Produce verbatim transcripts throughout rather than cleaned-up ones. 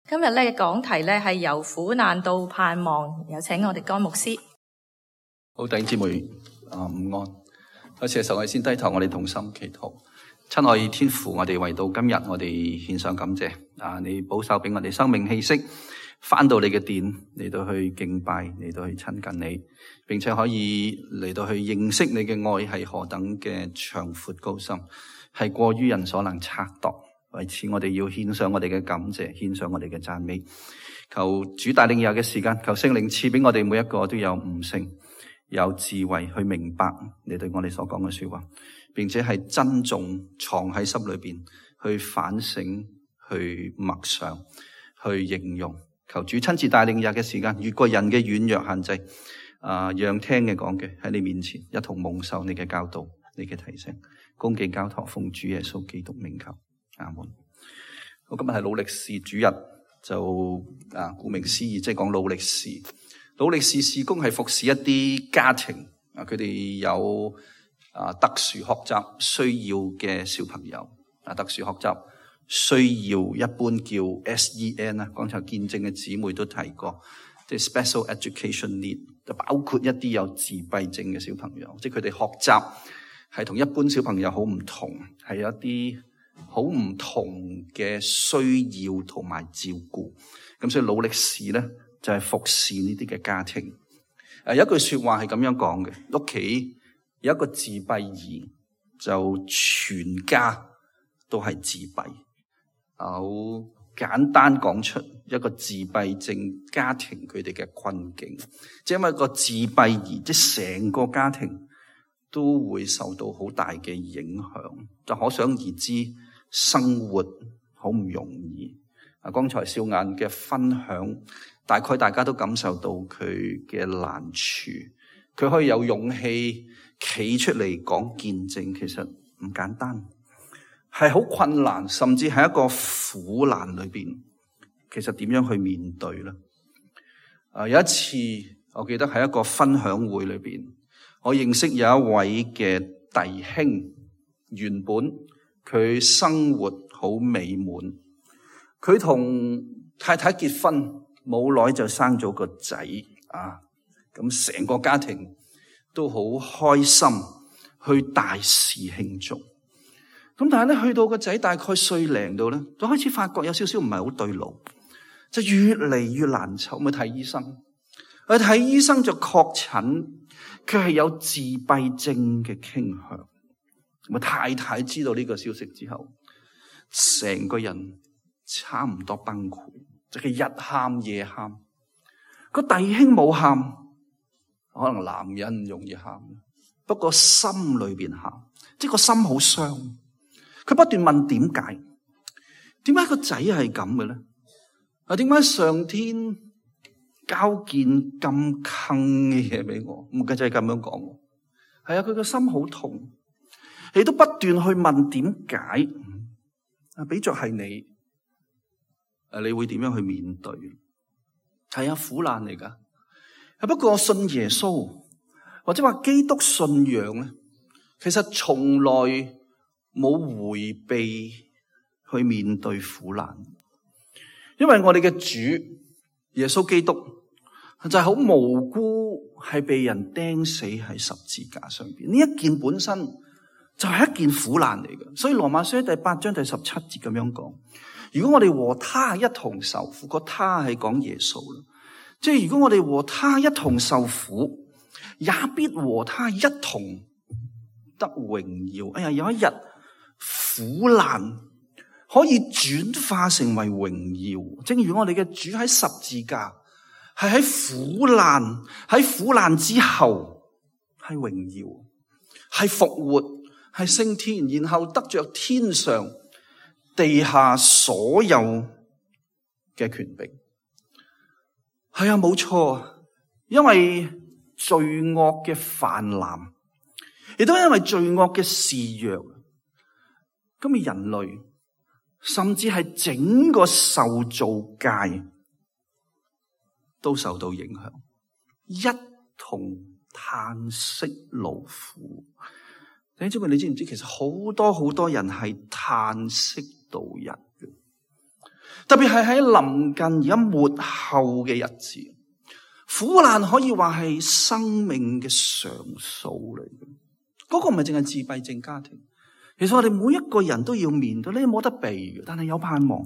今日咧嘅講題咧係由苦難到盼望，有請我哋江牧師。好，弟兄姊妹啊，午安。有時嘅時候，我哋先低頭，我哋同心祈禱。親愛天父，我哋為到今日，我哋獻上感謝啊！你保守俾我哋生命氣息，翻到你嘅殿嚟到去敬拜，嚟到去親近你，並且可以嚟到去認識你嘅愛係何等嘅長闊高深，係過於人所能測度。為此，我哋要獻上我哋嘅感謝，獻上我哋嘅讚美。求主帶領以後嘅時間，求聖靈賜俾我哋每一個都有悟性、有智慧去明白你對我哋所講嘅說話，並且係珍重藏喺心裏邊，去反省、去默想、去應用。求主親自帶領以後嘅時間，越過人嘅軟弱限制，啊，讓聽嘅講嘅喺你面前一同蒙受你嘅教導、你嘅提醒，恭敬交託奉主耶穌基督名求。阿門。我今日係努力士主日，就啊，顧名思義，即係講努力士。努力士事工係服侍一啲家庭啊，佢哋有啊特殊學習需要嘅小朋友啊，特殊學習需要一般叫 S E N 啊，剛才見證嘅姊妹都提過，即係 Special Education Need，就包括一啲有自閉症嘅小朋友，即係佢哋學習係同一般小朋友好唔同，係有一啲好唔同嘅需要同埋照顧，咁所以努力士咧就係服侍呢啲嘅家庭。誒，有一句說話係咁樣講嘅，屋企有一個自閉兒，就全家都係自閉。好簡單講出一個自閉症家庭佢哋嘅困境，即係因為個自閉兒，即係成個家庭都會受到好大嘅影響，就可想而知生活好唔容易。啊，剛才少眼嘅分享，大概大家都感受到佢嘅難處，佢可以有勇氣企出嚟講見證，其實唔簡單，係好困難，甚至係一個苦難裏邊，其實點樣去面對咧？啊，有一次我記得喺一個分享會裏邊，我認識有一位嘅弟兄，原本佢生活好美滿，佢同太太結婚冇耐就生咗個仔啊，咁成個家庭都好開心，去大肆慶祝。咁但係咧，去到個仔大概歲零度咧，就開始發覺有少少唔係好對路，就越嚟越難受，咪睇醫生。去睇醫生就確診佢係有自閉症嘅傾向。咁啊，太太知道呢個消息之後，成個人差唔多崩潰，就係日喊夜喊。個弟兄冇喊，可能男人唔容易喊，不過心裏邊喊，即係個心好傷。佢不斷問點解？點解個仔係咁嘅咧？啊，點解上天交件咁坑嘅嘢俾我？唔計就係咁樣講。係啊，佢個心好痛，你都不斷去問點解？啊，比作係你，誒，你會點樣去面對？係啊，苦難嚟噶。不過信耶穌或者話基督信仰咧，其實從來冇回避去面對苦難，因為我哋嘅主耶穌基督就係好無辜，係被人釘死喺十字架上邊。呢一件本身就係一件苦難嚟嘅，所以羅馬書第八章第十七節咁樣講：如果我哋和他一同受苦，個他係講耶穌啦，即係如果我哋和他一同受苦，也必和他一同得榮耀。哎呀，有一日苦難可以轉化成為榮耀，正如我哋嘅主喺十字架，係喺苦難，喺苦難之後係榮耀，係復活，係升天，然後得着天上地下所有嘅權柄。係啊，冇錯，因為罪惡嘅泛濫，亦都因為罪惡嘅肆虐，今日人類甚至係整個受造界都受到影響，一同嘆息勞苦。弟兄姊妹，你知唔知其實好多好多人係嘆息度日嘅？特別係喺臨近而家末後嘅日子，苦難可以話係生命嘅常數嚟嘅。嗰個唔係淨係自閉症家庭，其實我哋每一個人都要面對，呢冇得避嘅，但係有盼望。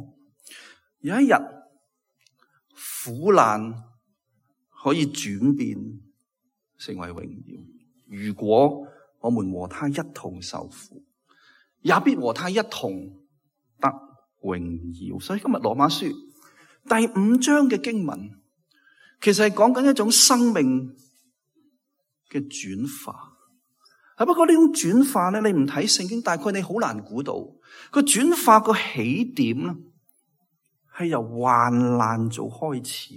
有一日苦難可以轉變成為榮耀，如果我們和他一同受苦，也必和他一同得榮耀。所以今日羅馬書第五章嘅經文，其實係講緊一種生命嘅轉化。不過呢種轉化咧，你唔睇聖經，大概你好難估到個轉化個起點咧，係由患難做開始。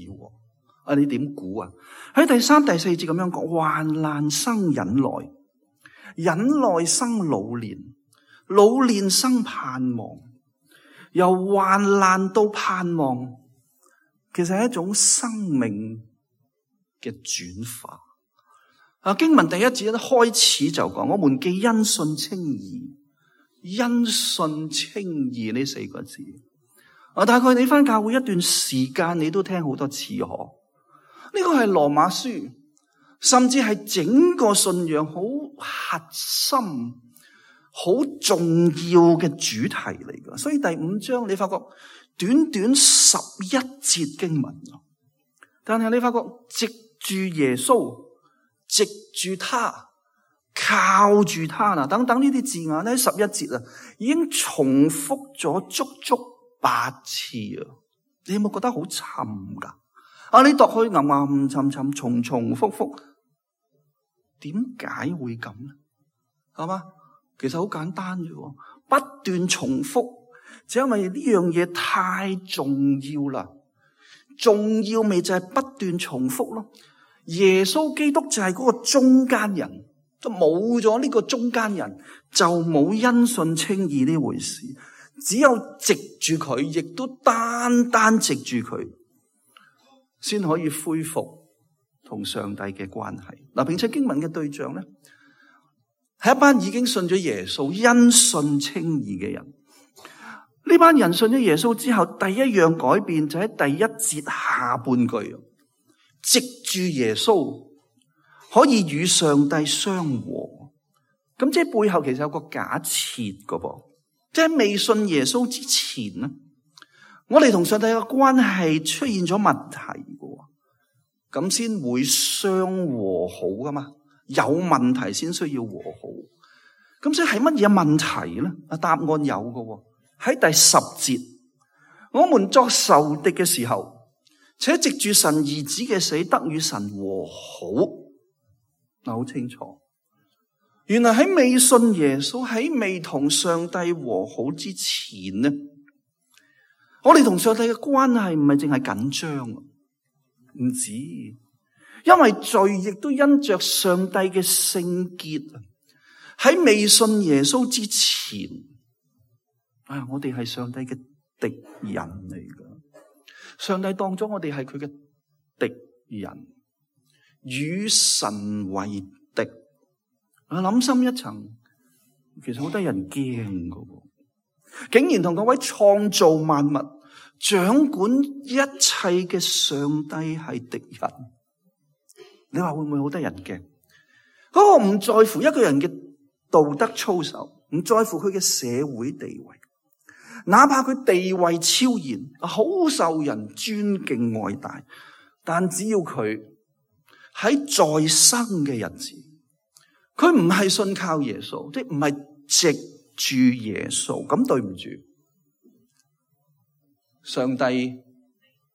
啊，你點估啊？喺第三、第四節咁樣講，患難生忍耐，忍耐生老練，老練生盼望。由患難到盼望，其實係一種生命嘅轉化。啊，經文第一節一開始就講，我們既因信稱義，因信稱義呢四個字。啊，大概你返教會一段時間，你都聽好多次嗬。呢個係羅馬書，甚至係整個信仰好核心、好重要嘅主題嚟㗎。所以第五章你發覺短短十一節經文，但係你發覺藉住耶穌，藉住他，靠住他啊，等等呢啲字眼咧，十一節啊，已經重複咗足足八次啊！你有冇覺得好沉㗎？啊，你讀去吟吟沉沉，重重複複，點解會咁咧？係嘛？其實好簡單啫，不斷重複，就因為呢樣嘢太重要啦。重要咪就係不斷重複咯。耶穌基督就係嗰個中間人，都冇咗呢個中間人，就冇因信稱義呢回事。只有藉住佢，亦都單單藉住佢，先可以恢復同上帝嘅關係。嗱，並且經文嘅對象咧，係一班已經信咗耶穌、因信稱義嘅人。呢班人信咗耶穌之後，第一樣改變就喺第一節下半句，藉住耶穌可以與上帝相和。咁即係背後其實有個假設噶噃。即係未信耶穌之前咧，我哋同上帝嘅關係出現咗問題嘅，咁先會相和好噶嘛？有問題先需要和好。咁所以係乜嘢問題咧？啊，答案有嘅，喺第十節，我們作仇敵嘅時候，且藉住神兒子嘅死得與神和好。嗱，好清楚。原來喺未信耶穌，喺未同上帝和好之前呢，我哋同上帝嘅關係唔係淨係緊張，唔止，因為罪亦都因着上帝嘅聖潔，喺未信耶穌之前，哎呀，我哋係上帝嘅敵人嚟噶。上帝當咗我哋係佢嘅敵人，與神為敵。我諗深一層，其實好多人驚噶，竟然同嗰位創造萬物、掌管一切嘅上帝係敵人。你話會唔會好多人驚？嗰個唔在乎一個人嘅道德操守，唔在乎佢嘅社會地位，哪怕佢地位超然，好受人尊敬愛戴，但只要佢喺在生嘅日子，佢唔係信靠耶穌，即係唔係藉住耶穌，咁對唔住，上帝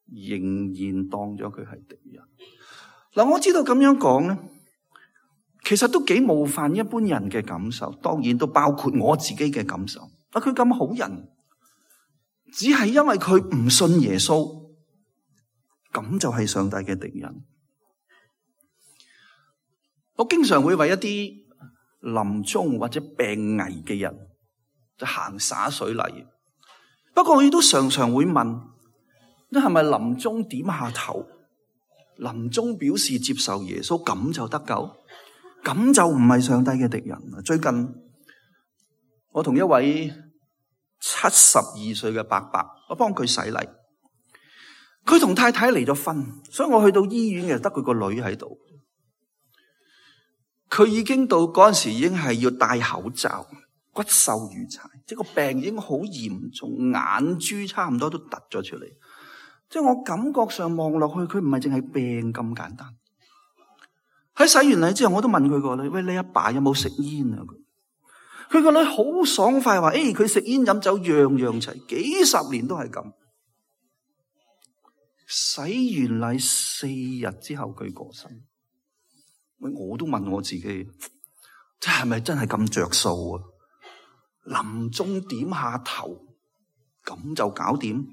仍然當咗佢係敵人。嗱，我知道咁樣講咧，其實都幾冒犯一般人嘅感受，當然都包括我自己嘅感受。啊，佢咁好人，只係因為佢唔信耶穌，咁就係上帝嘅敵人。我經常會為一啲臨終或者病危嘅人就行灑水禮，不過我亦都常常會問：你係咪臨終點下頭，臨終表示接受耶穌，咁就得救？咁就唔係上帝嘅敵人。最近我同一位七十二歲嘅伯伯我幫佢洗禮。佢同太太離咗婚，所以我去到醫院嘅得佢個女喺度。佢已經到嗰陣時已經係要戴口罩，骨瘦如柴，即係個病已經好嚴重，眼珠差唔多都突咗出嚟。即係我感覺上望落去，佢唔係淨係病咁簡單。喺洗完禮之後，我都問佢個女：喂，你阿爸有冇食煙啊？佢個女好爽快話：誒，佢食煙飲酒樣樣齊，幾十年都係咁。洗完禮四日之後，佢過身。喂，我都問我自己，即係咪真係咁着數啊？臨終點下頭，咁就搞掂。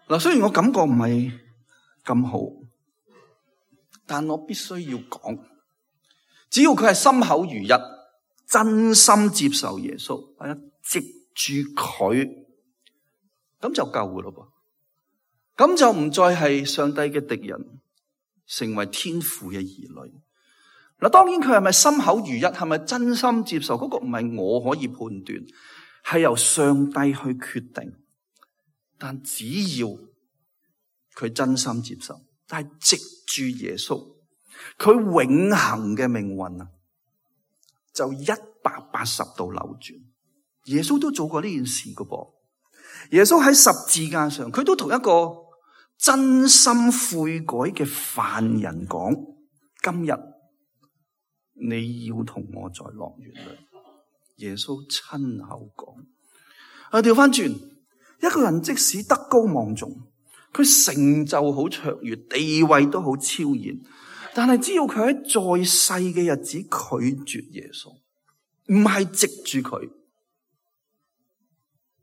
嗱，雖然我感覺唔係咁好，但我必須要講，只要佢係心口如一，真心接受耶穌，係啊，藉住佢，咁就夠噶咯噃。咁就唔再係上帝嘅敵人，成為天父嘅兒女。嗱，當然佢係咪心口如一，係咪真心接受，嗰個唔係我可以判斷，係由上帝去決定。但只要佢真心接受，但係藉住耶穌，佢永恆嘅命運啊，就一百八十度扭轉。耶穌都做過呢件事噶噃。耶穌喺十字架上，佢都同一個真心悔改嘅犯人講：今日你要同我在樂園裏。耶穌親口講。啊，調翻轉，一個人即使德高望重，佢成就好卓越，地位都好超然，但係只要佢喺在世嘅日子拒絕耶穌，唔係藉住佢，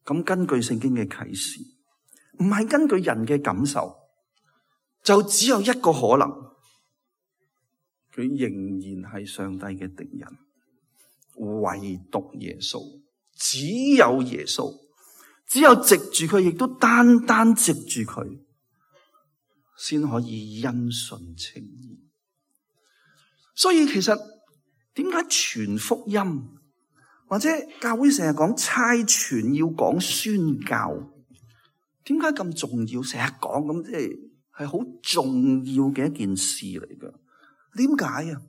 咁根據聖經嘅啟示，唔係根據人嘅感受，就只有一個可能，佢仍然係上帝嘅敵人。唯獨耶穌，只有耶穌，只有藉住佢，亦都單單藉住佢，先可以因信稱義。所以其實點解傳福音或者教會成日講差傳，要講宣教，點解咁重要？成日講咁，即係係好重要嘅一件事嚟噶。點解啊？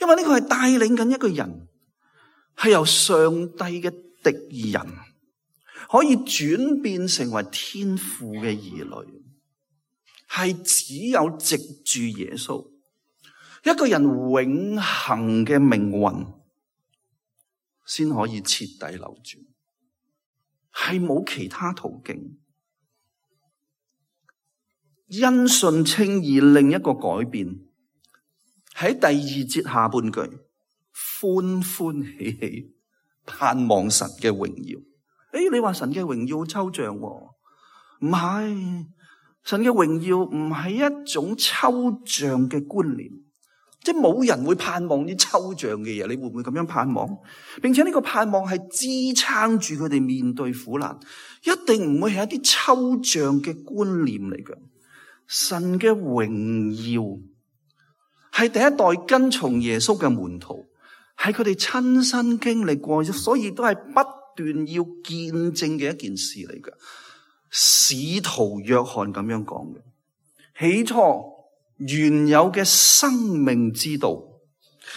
因為呢個係帶領緊一個人，係由上帝嘅敵人可以轉變成為天父嘅兒女，係只有藉住耶穌，一個人永恆嘅命運先可以徹底扭轉，係冇其他途徑。因信稱義另一個改變，喺第二節下半句，歡歡喜喜盼望神嘅榮耀。誒，你話神嘅榮耀好抽象喎？唔係，神嘅榮耀唔係一種抽象嘅觀念，即係冇人會盼望啲抽象嘅嘢。你會唔會咁樣盼望？並且呢個盼望係支撐住佢哋面對苦難，一定唔會係一啲抽象嘅觀念嚟嘅。神嘅榮耀係第一代跟從耶穌嘅門徒，係佢哋親身經歷過，所以都係不斷要見證嘅一件事嚟嘅。使徒約翰咁樣講嘅，起初原有嘅生命之道，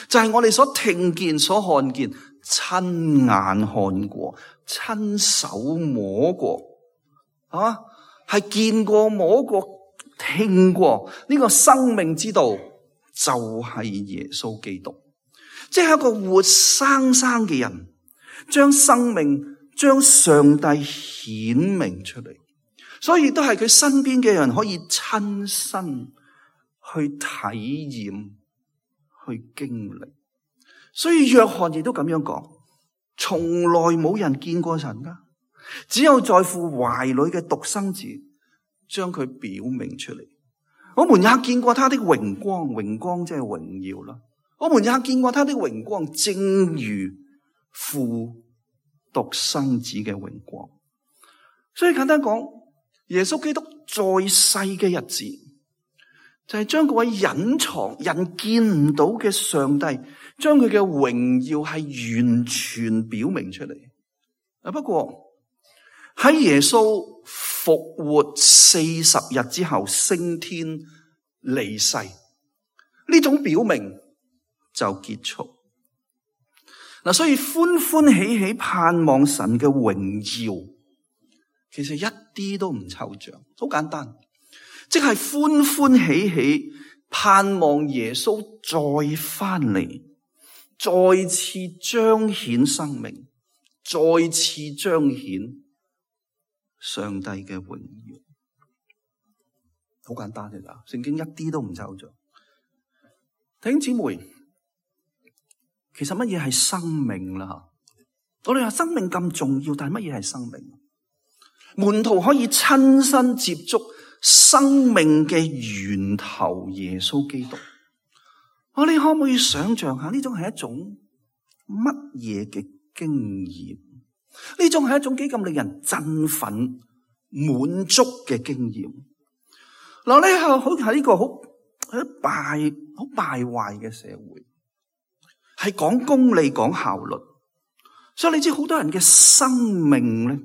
就係我哋所聽見、所看見、親眼看過、親手摸過，啊，係見過、摸過、聽過呢個生命之道，就係耶穌基督，即係一個活生生嘅人，將生命、將上帝顯明出嚟，所以都係佢身邊嘅人可以親身去體驗、去經歷。所以約翰亦都咁樣講，從來冇人見過神噶，只有在父懷裏嘅獨生子將佢表明出嚟。我們也見過他的榮光，榮光即係榮耀啦。我們也見過他的榮光，正如父獨生子嘅榮光。所以簡單講，耶穌基督在世嘅日子，就係將嗰位隱藏人見唔到嘅上帝，將佢嘅榮耀係完全表明出嚟。啊，不過喺耶穌復活四十日之後升天離世，呢種表明就結束。嗱，所以歡歡喜喜盼望神嘅榮耀，其實一啲都唔抽象，好簡單，即係歡歡喜喜盼望耶穌再翻嚟，再次彰顯生命，再次彰顯上帝嘅榮耀，好簡單嘅咋，聖經一啲都唔抽象。弟兄姊妹，其實乜嘢係生命啦？我哋話生命咁重要，但係乜嘢係生命？門徒可以親身接觸生命嘅源頭耶穌基督。我哋可唔可以想象下呢種係一種乜嘢嘅經驗？呢種係一種幾咁令人振奮、滿足嘅經驗。嗱，呢係好係呢個好喺敗好敗壞嘅社會，係講功利、講效率，所以你知好多人嘅生命咧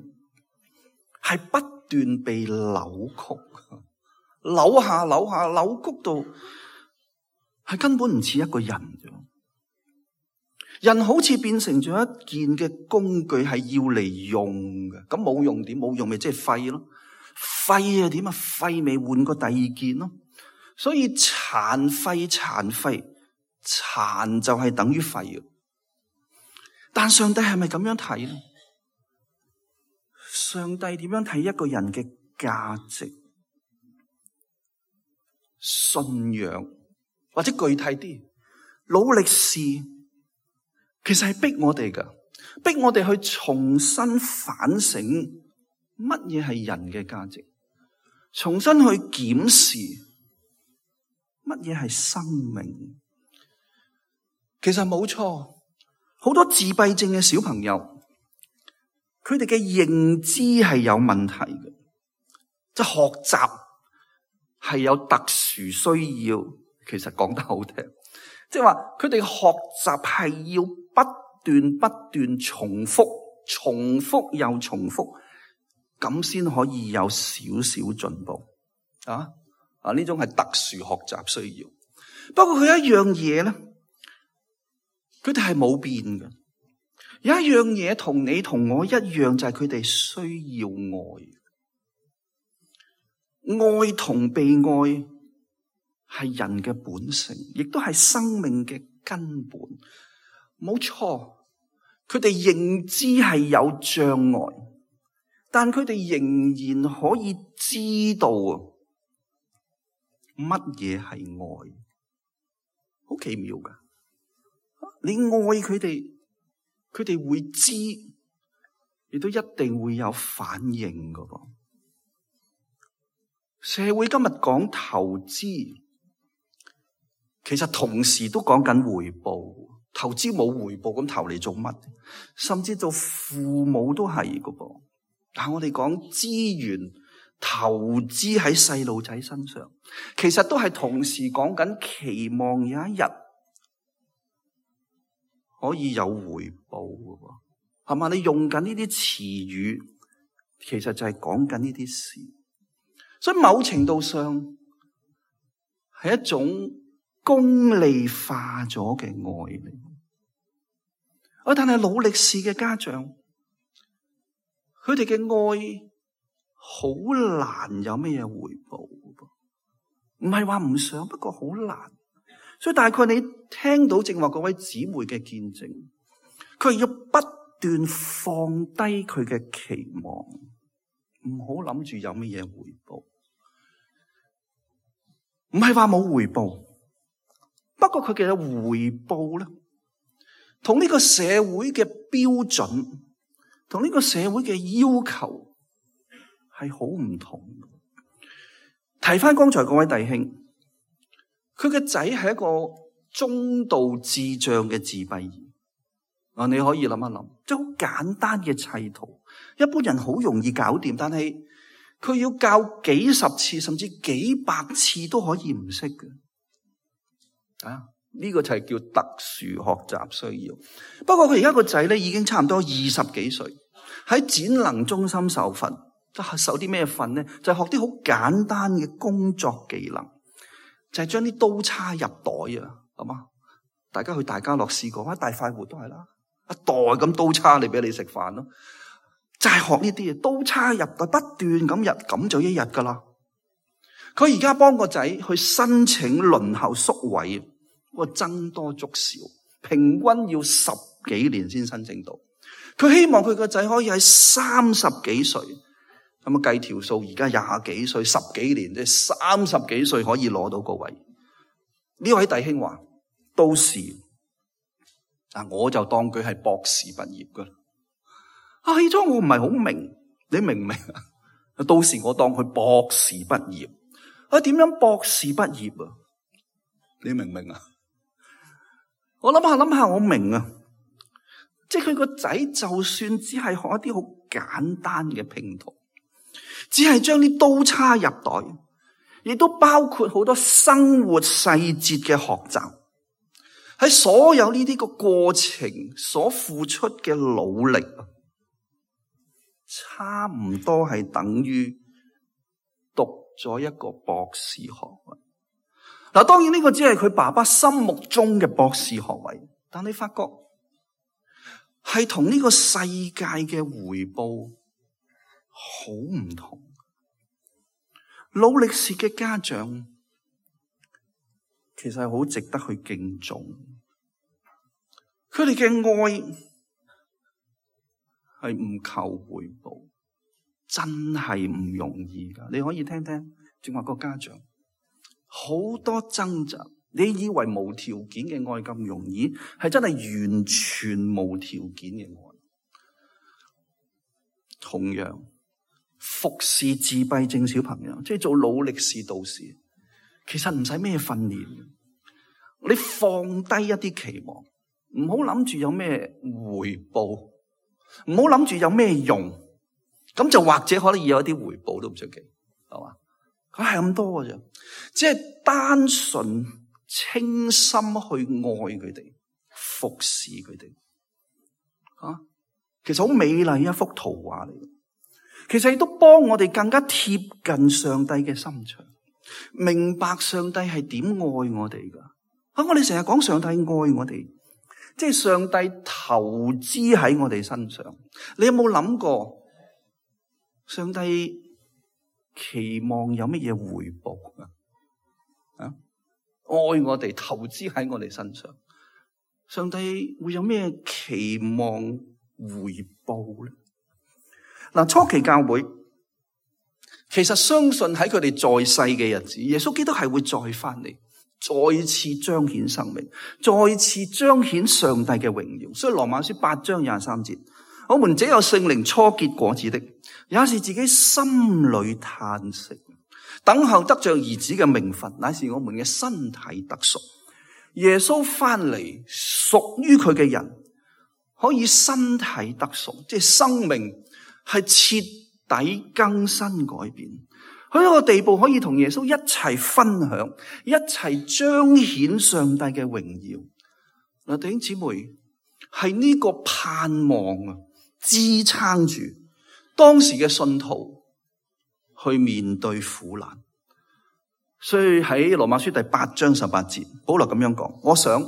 係不斷被扭曲，扭下扭下扭曲到係根本唔似一個人啫。人好似變成咗一件嘅工具，係要嚟用嘅。咁冇用點？冇用咪即係廢咯？廢啊點啊？廢咪換個第二件咯。所以殘廢殘廢殘就係等於廢。但上帝係咪咁樣睇咧？上帝點樣睇一個人嘅價值、信仰，或者具體啲，努力試？其實係逼我哋噶，逼我哋去重新反省乜嘢係人嘅價值，重新去檢視乜嘢係生命。其實冇錯，好多自閉症嘅小朋友，佢哋嘅認知係有問題嘅，即係學習係有特殊需要。其實講得好聽，即係話佢哋學習係要不斷不斷重複，重複又重複，咁先可以有少少進步啊！啊，呢種係特殊學習需要。不過佢一樣嘢咧，佢哋係冇變嘅。有一樣嘢同你同我一樣，就係佢哋需要愛，愛同被愛係人嘅本性，亦都係生命嘅根本。冇錯，佢哋認知係有障礙，但佢哋仍然可以知道乜嘢係愛，好奇妙噶！你愛佢哋，佢哋會知，亦都一定會有反應噶噃。社會今日講投資，其實同時都講緊回報。投資冇回報，咁投嚟做乜？甚至做父母都係噶噃。但我哋講資源投資喺細路仔身上，其實都係同時講緊期望有一日可以有回報噶噃，係嘛？你用緊呢啲詞語，其實就係講緊呢啲事。所以某程度上係一種功利化咗嘅愛嚟。啊，但係努力試嘅家長，佢哋嘅愛好難有咩嘢回報，唔係話唔想，不過好難。所以大概你聽到正話嗰位姊妹嘅見證，佢要不斷放低佢嘅期望，唔好諗住有咩嘢回報。唔係話冇回報，不過佢嘅回報咧，同呢個社會嘅標準，同呢個社會嘅要求係好唔同。提翻剛才嗰位弟兄，佢嘅仔係一個中度智障嘅自閉兒。啊，你可以諗一諗，即係好簡單嘅砌圖，一般人好容易搞掂，但係佢要教幾十次甚至幾百次都可以唔識嘅。啊，呢個就係叫特殊學習需要。不過佢而家個仔咧已經差唔多二十幾歲，喺展能中心受訓，受啲咩訓呢？就係學啲好簡單嘅工作技能，就係將啲刀叉入袋啊，係嘛？大家去大家樂試過，大快活都係啦，一袋咁刀叉嚟俾你食飯咯，就係學呢啲嘢，刀叉入袋不斷咁入，咁就一日噶啦。佢而家幫個仔去申請輪候宿位，個僧多粥少，平均要十幾年先申請到。佢希望佢個仔可以喺三十幾歲，咁啊計條數，而家廿幾歲，十幾年即係三十幾歲可以攞到個位。呢位弟兄話：到時啊，我就當佢係博士畢業噶啦。啊，起初我唔係好明，你明唔明啊？到時我當佢博士畢業。啊，點樣博士畢業啊？你明唔明啊？我諗下諗下，我明啊。即係佢個仔就算只係學一啲好簡單嘅拼圖，只係將啲刀叉入袋，亦都包括好多生活細節嘅學習。喺所有呢啲個過程所付出嘅努力，差唔多係等於讀咗一個博士學位。嗱，當然呢個只係佢爸爸心目中嘅博士學位，但你發覺係同呢個世界嘅回報好唔同。勞力士嘅家長其實係好值得去敬重，佢哋嘅愛係唔求回報，真係唔容易噶。你可以聽聽正話個家長好多掙扎，你以為無條件嘅愛咁容易，係真係完全無條件嘅愛。同樣服侍自閉症小朋友，即係做勞力士導師，其實唔使咩訓練，你放低一啲期望，唔好諗住有咩回報，唔好諗住有咩用，咁就或者可能有一啲回報都唔出奇，係嘛？佢係咁多嘅啫，只係單純清心去愛佢哋，服侍佢哋。啊，其實好美麗一幅圖畫嚟，其實亦都幫我哋更加貼近上帝嘅心腸，明白上帝係點愛我哋噶。啊，我哋成日講上帝愛我哋，即係上帝投資喺我哋身上。你有冇諗過上帝期望有乜嘢回報啊？啊，愛我哋，投資喺我哋身上，上帝會有咩期望回報咧？嗱，初期教會其實相信喺佢哋在世嘅日子，耶穌基督係會再翻嚟，再次彰顯生命，再次彰顯上帝嘅榮耀。所以羅馬書八章廿三節，我們這有聖靈初結果子的，也是自己心裏嘆息，等候得着兒子嘅名分，乃是我們嘅身體得贖。耶穌翻嚟，屬於佢嘅人可以身體得贖，即係生命係徹底更新改變，去一個地步可以同耶穌一齊分享，一齊彰顯上帝嘅榮耀。嗱，弟兄姊妹，係呢個盼望啊，支撐住當時嘅信徒去面對苦難。所以喺羅馬書第八章十八節，保羅咁樣講：我想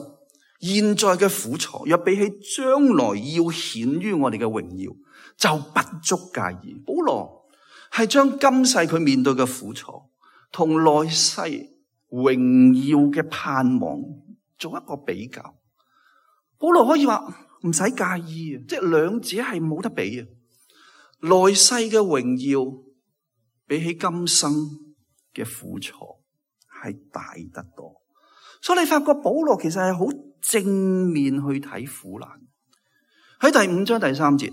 現在嘅苦楚，若比起將來要顯於我哋嘅榮耀，就不足介意。保羅係將今世佢面對嘅苦楚同來世榮耀嘅盼望做一個比較。保羅可以話唔使介意啊，即係兩者係冇得比啊。來世嘅榮耀比起今生嘅苦楚係大得多，所以你發覺保羅其實係好正面去睇苦難。喺第五章第三節，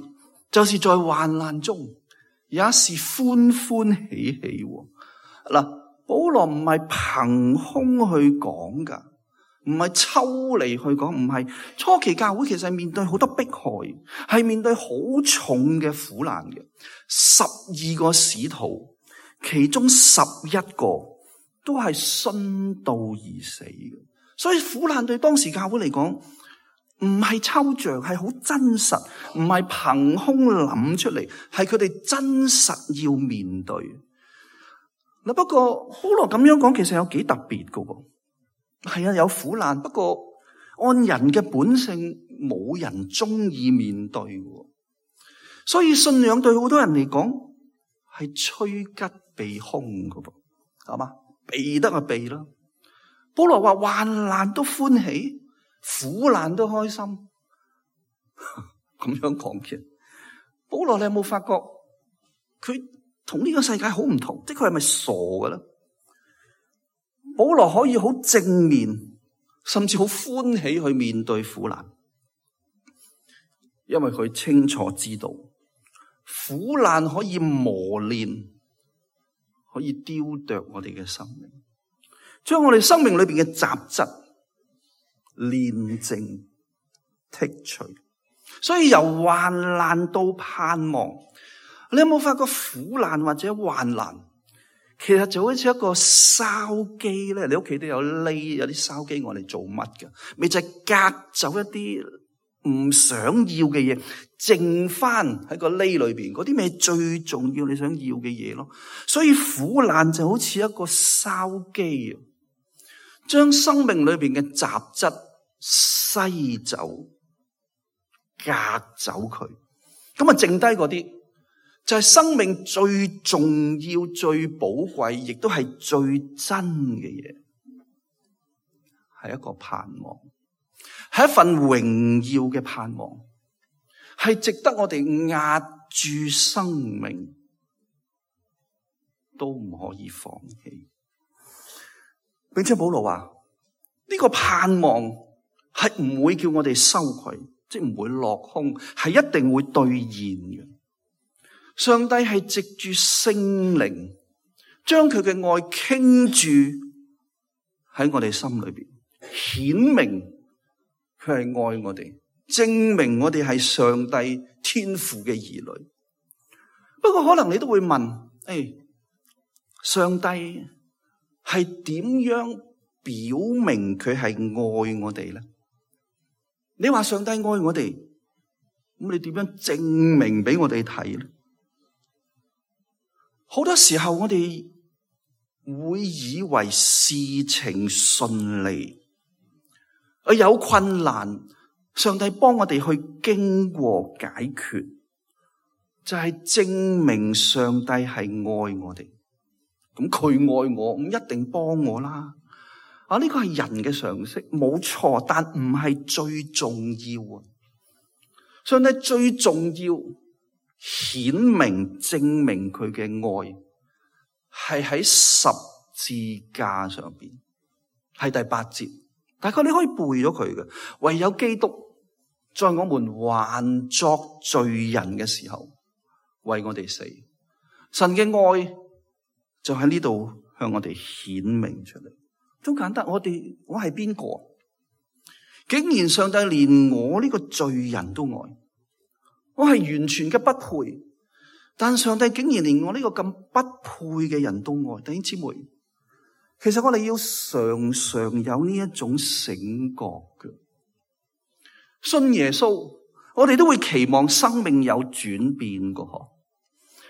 就是在患難中也是歡歡喜喜。嗱，保羅唔係憑空去講噶，唔係抽離去講，唔係。初期教會其實係面對好多迫害，係面對好重嘅苦難嘅。十二個使徒，其中十一個都係殉道而死嘅，所以苦難對當時教會嚟講唔係抽象，係好真實，唔係憑空諗出嚟，係佢哋真實要面對。嗱，不過保羅咁樣講，其實有幾特別噶喎。係啊，有苦難，不過按人嘅本性，冇人中意面對嘅。所以信仰對好多人嚟講係趨吉避凶嘅噃，係嘛？避得就避啦。保羅話患難都歡喜，苦難都開心，咁樣講嘅。保羅，你有冇發覺佢同呢個世界好唔同？即係佢係咪傻嘅咧？保羅可以好正面，甚至好歡喜去面對苦難，因為佢清楚知道苦難可以磨練，可以雕琢我哋嘅生命，將我哋生命裏邊嘅雜質煉淨剔除。所以由患難到盼望，你有冇發覺苦難或者患難其實就好似一個燒機咧？你屋企都有瀝，有啲燒機我哋做乜㗎？咪就係隔走一啲唔想要嘅嘢，剩翻喺個瀝裏邊嗰啲咪最重要你想要嘅嘢咯。所以苦難就好似一個燒機，將生命裏邊嘅雜質篩走、隔走佢，咁啊剩低嗰啲就係生命最重要、最寶貴，亦都係最真嘅嘢，係一個盼望，係一份榮耀嘅盼望，係值得我哋壓住生命都唔可以放棄。並且保羅話呢個盼望係唔會叫我哋羞愧，即係唔會落空，係一定會兌現嘅。上帝係藉住聖靈將佢嘅愛傾注喺我哋心裏邊，顯明佢係愛我哋，證明我哋係上帝天父嘅兒女。不過可能你都會問，誒，上帝係點樣表明佢係愛我哋咧？你話上帝愛我哋，咁你點樣證明俾我哋睇咧？好多時候我哋會以為事情順利，而有困難，上帝幫我哋去經過解決，就係證明上帝係愛我哋。咁佢愛我，咁一定幫我啦。啊，呢個係人嘅常識，冇錯，但唔係最重要啊。上帝最重要，顯明證明佢嘅愛係喺十字架上邊，係第八節。大概你可以背咗佢嘅，唯有基督在我們還作罪人嘅時候為我哋死，神嘅愛就喺呢度向我哋顯明出嚟。好簡單，我哋我係邊個？竟然上帝連我呢個罪人都愛，我係完全嘅不配，但上帝竟然連我呢個咁不配嘅人都愛。弟兄姊妹，其實我哋要常常有呢一種醒覺嘅。信耶穌，我哋都會期望生命有轉變嘅嗬。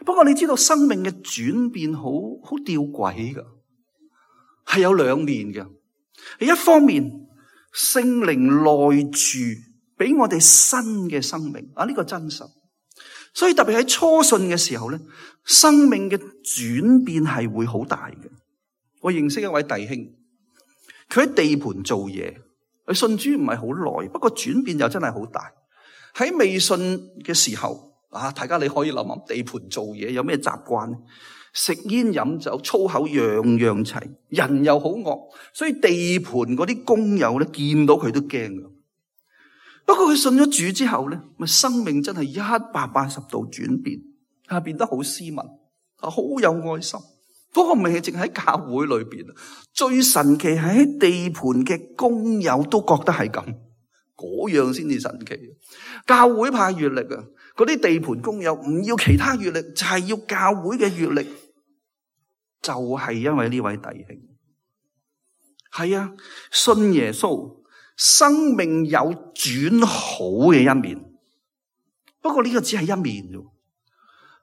不過你知道生命嘅轉變好好吊詭噶，係有兩面嘅。一方面，聖靈內住俾我哋新嘅生命啊，呢個真實。所以特別喺初信嘅時候咧，生命嘅轉變係會好大嘅。我認識一位弟兄，佢喺地盤做嘢，佢信主唔係好耐，不過轉變又真係好大。喺未信嘅時候啊，大家你可以諗諗，地盤做嘢有咩習慣？食煙飲酒粗口樣樣齊，人又好惡，所以地盤嗰啲工友咧見到佢都驚噶。不過佢信咗主之後咧，咪生命真係一百八十度轉變，啊變得好斯文，啊好有愛心。不過唔係淨喺教會裏邊，最神奇係喺地盤嘅工友都覺得係咁，嗰樣先至神奇。教會派閱歷啊，嗰啲地盤工友唔要其他閱歷，就係要教會嘅閱歷。就係因為呢位弟兄，係啊，信耶穌，生命有轉好嘅一面，不過呢個只係一面啫。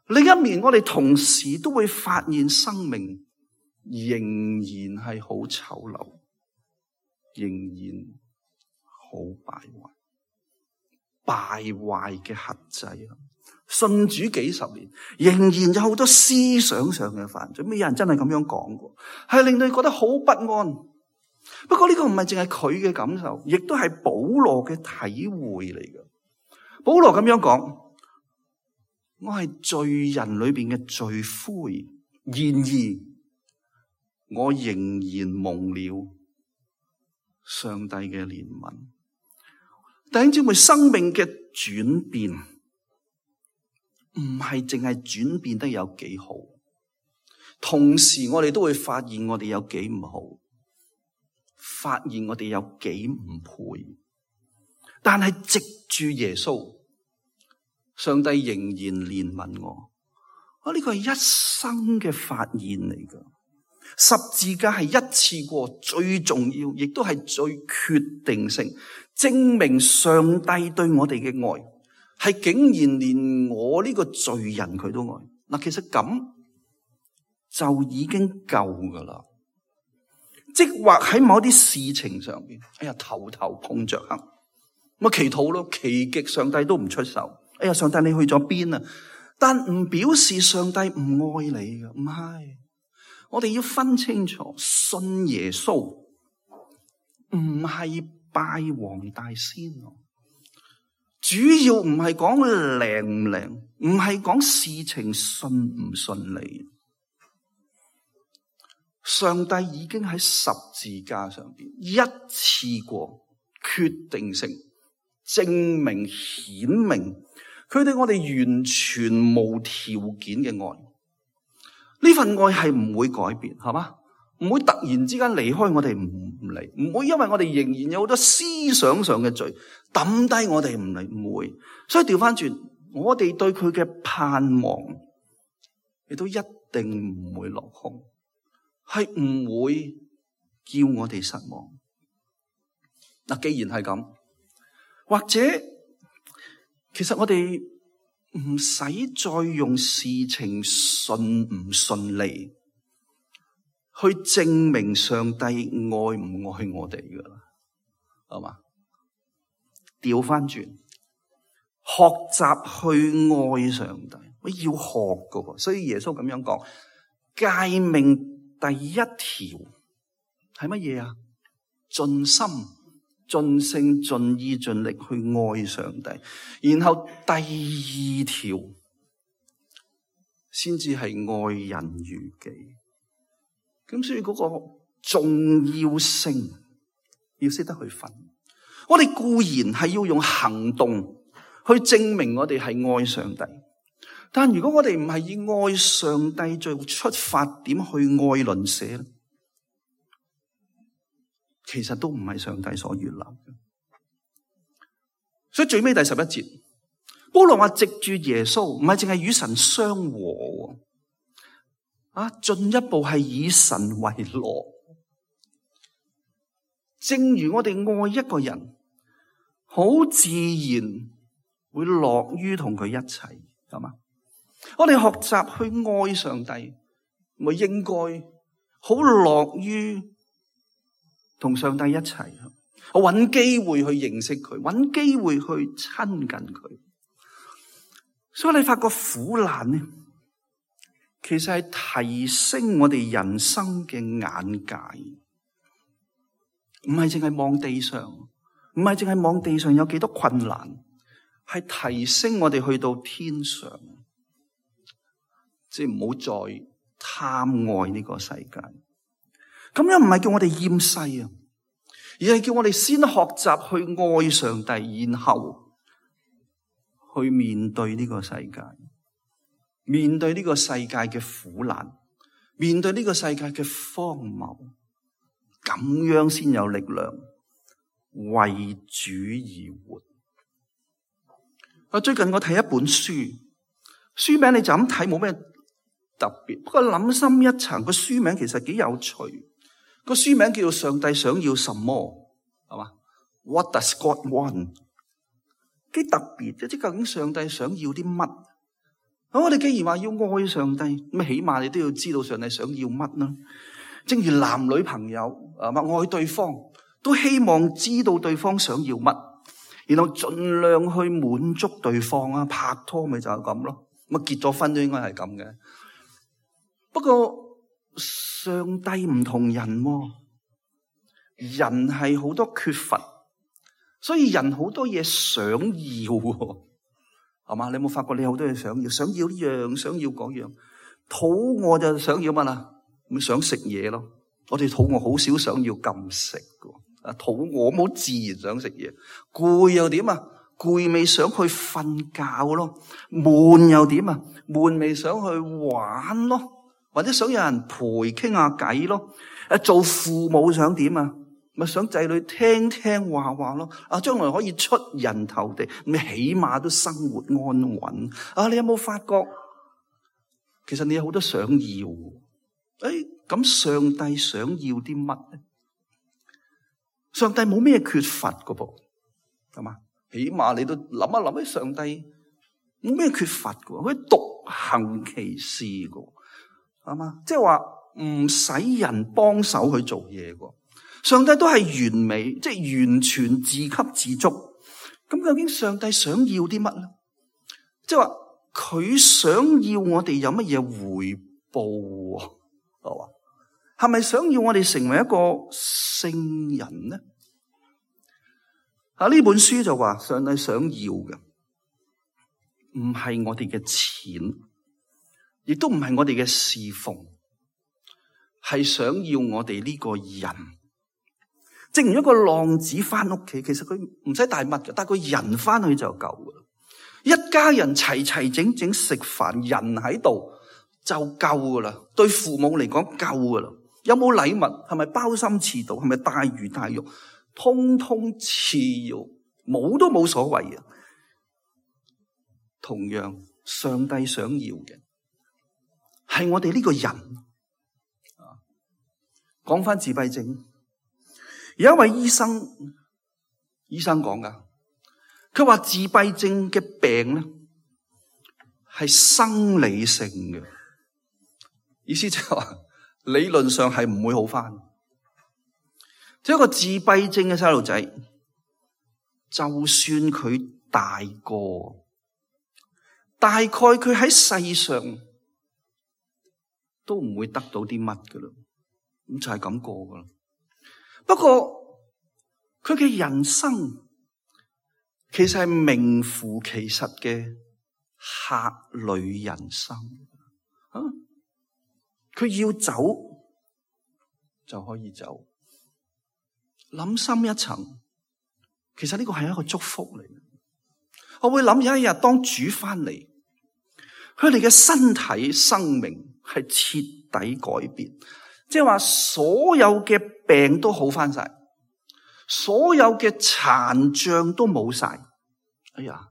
另一面，我哋同時都會發現生命仍然係好醜陋，仍然好敗壞，敗壞嘅轄制啊！信主幾十年，仍然有好多思想上嘅犯罪。咩有人真係咁樣講過，係令到你覺得好不安。不過呢個唔係淨係佢嘅感受，亦都係保羅嘅體會嚟嘅。保羅咁樣講。我係罪人裏邊嘅罪魁，然而我仍然蒙了上帝嘅憐憫。弟兄姊妹，生命嘅轉變唔係淨係轉變得有幾好，同時我哋都會發現我哋有幾唔好，發現我哋有幾唔配。但係藉住耶穌，上帝仍然憐憫我，我呢個係一生嘅發現嚟噶。十字架係一次過最重要，亦都係最決定性，證明上帝對我哋嘅愛係竟然連我呢個罪人佢都愛。嗱，其實咁就已經夠噶啦。即或喺某啲事情上邊，哎呀頭頭碰着黑，咪祈禱咯，祈極上帝都唔出手。哎呀，上帝你去咗邊啊？但唔表示上帝唔愛你嘅，唔係。我哋要分清楚，信耶穌唔係拜黃大仙，主要唔係講靈唔靈，唔係講事情順唔順利。上帝已經喺十字架上邊一次過決定性證明顯明。佢對我哋完全無條件嘅愛，呢份愛係唔會改變，係嘛？唔會突然之間離開我哋唔嚟，唔會因為我哋仍然有好多思想上嘅罪抌低我哋唔嚟，唔會。所以調翻轉，我哋對佢嘅盼望亦都一定唔會落空，係唔會叫我哋失望。嗱，既然係咁，或者。其實我哋唔使再用事情順唔順利去證明上帝愛唔愛我哋噶啦，係嘛？調翻轉，學習去愛上帝，我要學噶，所以耶穌咁樣講，誡命第一條係乜嘢啊？盡心。盡性盡意盡力去愛上帝，然後第二條先至係愛人如己。咁所以嗰個重要性要識得去分。我哋固然係要用行動去證明我哋係愛上帝，但如果我哋唔係以愛上帝做出發點去愛鄰舍咧，其實都唔係上帝所悅納嘅。所以最尾第十一節，保羅話藉住耶穌，唔係淨係與神相和，啊，進一步係以神為樂。正如我哋愛一個人，好自然會樂於同佢一齊，係嘛？我哋學習去愛上帝，咪應該好樂於同上帝一齊，我揾機會去認識佢，揾機會去親近佢。所以你發覺苦難呢，其實係提升我哋人生嘅眼界，唔係淨係望地上，唔係淨係望地上有幾多困難，係提升我哋去到天上，即係唔好再貪愛呢個世界。咁樣唔係叫我哋厭世啊，而係叫我哋先學習去愛上帝，然後去面對呢個世界，面對呢個世界嘅苦難，面對呢個世界嘅荒謬，咁樣先有力量為主而活。啊，最近我睇一本書，書名你就咁睇冇咩特別，不過諗深一層，個書名其實幾有趣。個書名叫做《上帝想要什麼》，係嘛？ What does God want？ 幾特別嘅，即係究竟上帝想要啲乜？咁我哋既然話要愛上帝，咁起碼你都要知道上帝想要乜啦。正如男女朋友啊，愛對方都希望知道對方想要乜，然後盡量去滿足對方啊。拍拖咪就係咁咯，咁啊結咗婚都應該係咁嘅。不過上帝唔同人喎，人係好多缺乏，所以人好多嘢想要喎，係嘛？你有冇發覺你好多嘢想要？想要呢樣，想要嗰樣。肚餓就想要乜啦？咪想食嘢咯。我哋肚餓好少想要禁食㗎。啊，肚餓冇自然想食嘢。攰又點啊？攰未想去瞓覺咯。悶又點啊？悶未想去玩咯。或者想有人陪傾下偈咯。誒，做父母想點啊？咪想仔女聽聽話話咯。啊，將來可以出人頭地，咪起碼都生活安穩。啊，你有冇發覺？其實你有好多想要。誒，咁上帝想要啲乜咧？上帝冇咩缺乏噶噃，係嘛？起碼你都諗一諗，喺上帝冇咩缺乏噶，佢獨行其事噶。係嘛？即係話唔使人幫手去做嘢喎。上帝都係完美，即係完全自給自足。咁究竟上帝想要啲乜咧？即係話佢想要我哋有乜嘢回報？係嘛？係咪想要我哋成為一個聖人咧？啊，呢本書就話上帝想要嘅唔係我哋嘅錢，亦都唔係我哋嘅侍奉，係想要我哋呢個人。正如一個浪子翻屋企，其實佢唔使帶乜嘅，帶個人翻去就夠噶啦。一家人齊齊整整食飯，人喺度就夠噶啦。對父母嚟講夠噶啦。有冇禮物？係咪包心翅肚？係咪大魚大肉？通通次要，冇都冇所謂嘅。同樣，上帝想要嘅係我哋呢個人。講翻自閉症，有一位醫生，醫生講噶，佢話自閉症嘅病咧係生理性嘅，意思就係話理論上係唔會好翻。即係一個自閉症嘅細路仔，就算佢大個，大概佢喺世上都唔會得到啲乜噶啦。咁就係咁過噶啦。不過佢嘅人生其實係名副其實嘅客旅人生。啊，佢要走就可以走。諗深一層，其實呢個係一個祝福嚟。我會諗有一日當主翻嚟，佢哋嘅身體生命係徹底改變。即係話所有嘅病都好翻晒，所有嘅殘障都冇晒。哎呀，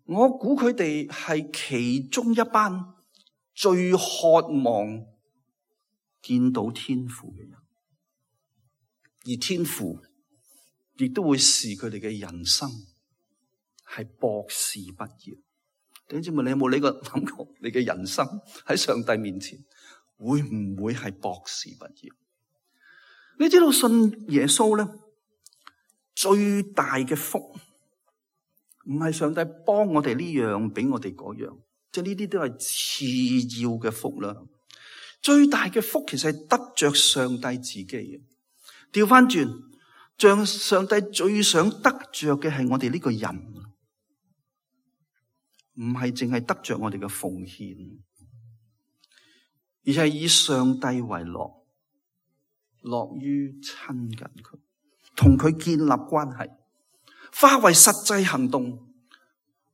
我估佢哋係其中一班最渴望見到天父嘅人，而天父亦都會視佢哋嘅人生係博士畢業。弟兄姊妹，你有冇呢個諗過？你嘅人生喺上帝面前會唔會係博士畢業？你知道信耶穌咧，最大嘅福唔係上帝幫我哋呢樣俾我哋嗰樣，即係呢啲都係次要嘅福啦。最大嘅福其實係得着上帝自己嘅。調翻轉，像上帝最想得着嘅係我哋呢個人，唔係淨係得着我哋嘅奉獻，而係以上帝為樂，樂於親近佢，同佢建立關係，化為實際行動。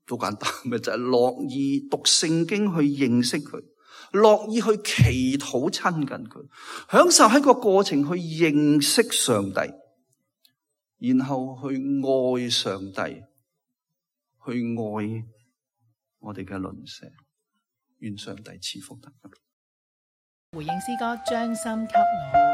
好簡單，咪就係樂意讀聖經去認識佢，樂意去祈禱親近佢，享受喺個過程去認識上帝，然後去愛上帝，去愛我哋嘅鄰舍。願上帝賜福大家。回應詩歌，將心給我。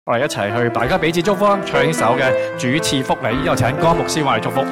我哋一齊去，大家彼此祝福，唱呢首嘅主賜福你，又請江牧師為我哋祝福。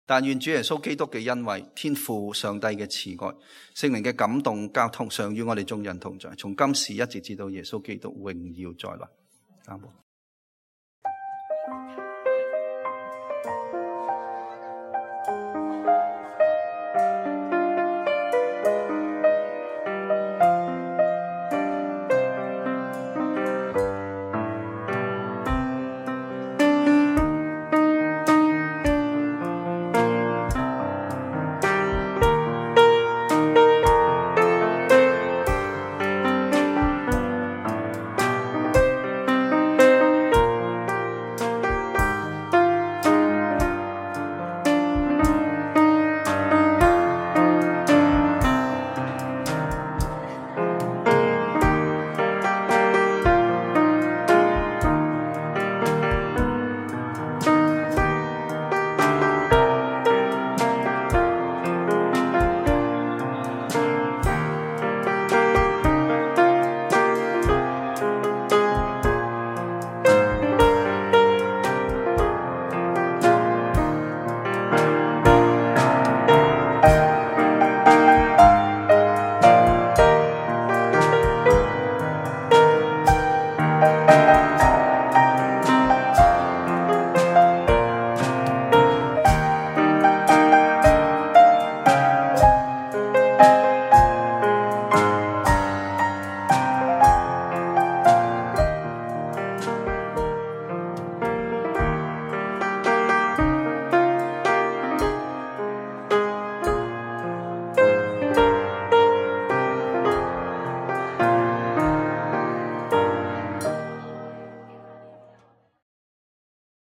但願主耶穌基督嘅恩惠、天父上帝嘅慈愛、聖靈嘅感動交通，常與我哋眾人同在，從今時一直至到耶穌基督榮耀再來。阿門。